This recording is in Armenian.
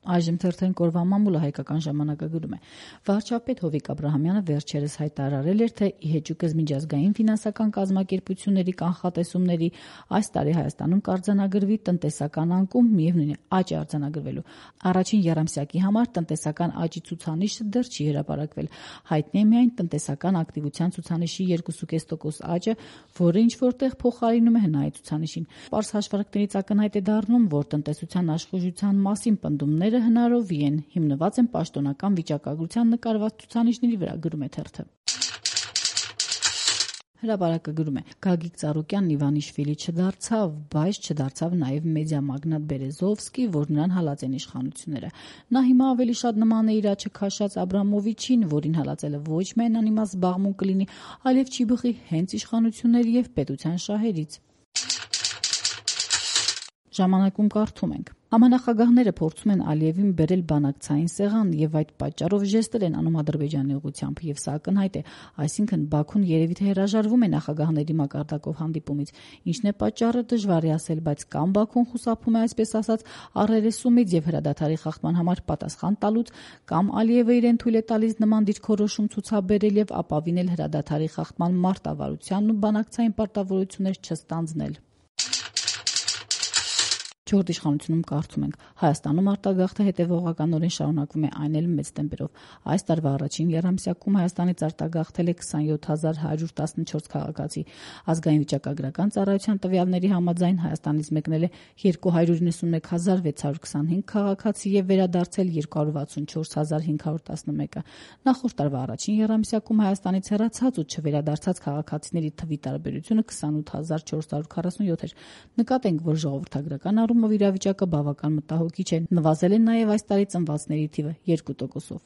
Այժմ թերթեն կորվա մամուլը հայկական ժամանակը գրում է. վարչապետ Հովիկ Աբրահամյանը վերջերս հայտարարել էր, թե ի հեճուկս միջազգային ֆինանսական կազմակերպությունների կանխատեսումների այս տարի Հայաստանում կարձանագրվի տնտեսական անկում, միևնույն է աճ է արձանագրվելու։ Առաջին եռամսյակի համար տնտեսական աճի ցուցանիշը դեռ չի հրապարակվել։ Հայտնի է միայն տնտեսական ակտիվության ցուցանիշի 2,5% աճը, որը ինչ որտեղ փոխարինում է հնայի ցուցանիշին։ Պարզ հաշվարկներից ակնհայտ է դառնում, որ տնտեսության աշխուժության մասին պնդումները հնարովի են, հիմնված են պաշտոնական վիճակագրության նկարված ցուցանիշների վրա, գրում է թերթը։ Հրապարակը գրում է. Գագիկ Ծառուկյանն Իվանիշվիլի չդարձավ, բայց չդարձավ նաև մեդիա մագնատ Բերեզովսկի, որ նրան հալած են իշխանությունները։ Նա հիմա ավելի շատ նման է իր աչքը քաշած Աբրամովիչին, որին հալածելը ոչ միայն անիմաստ զբաղմունք կլինի, այլև չի բխի հենց իշխանությունների և պետության շահերից։ Ժամանակում կարդում ենք. Համանախագահները փորձում են Ալիևին բերել բանակցային սեղան եւ այդ պատճառով ժեստել են անում Ադրբեջանի ուղղությամբ եւ սա ակնհայտ է, այսինքն Բաքուն երևի թե հրաժարվում է նախագահների մակարդակով հանդիպումից, ինչն է պատճառը դժվար է ասել, բայց կամ Բաքուն խուսափում է այսպես ասած առերեսումից եւ հրադադարի խախտման համար պատասխան տալուց, կամ Ալիևը իրեն թույլ է տալիս նման դիրքորոշում ցուցաբերել եւ ապավինել հրադադարի խախտման մարտավարությանն ու բանակցային պարտավորություններ չստանձնել։ Չորրորդ իշխանությունում կարդում ենք. Հայաստանում արտագաղթը հետևողականորեն շարունակվում է, այն էլ մեծ տեմպերով։ Այս տարվա առաջին եռամսյակում Հայաստանից արտագաղթել է 27,114 քաղաքացի։ Ազգային վիճակագրական ծառայության տվյալների համաձայն Հայաստանից մեկնել է 291,625 քաղաքացի եւ վերադարձել 264,511-ը։ Նախորդ տարվա առաջին եռամսյակում Հայաստանից հեռացած ու չվերադարձած քաղաքացիների թվի տարբերությունը 28,447 էր։ Նկատենք, որ ժողովրդագրական առումով իրավիճակը բավական մտահոգիչ է։ Նվազել է նաև այս տարի ծնվածների թիվը 2%-ով։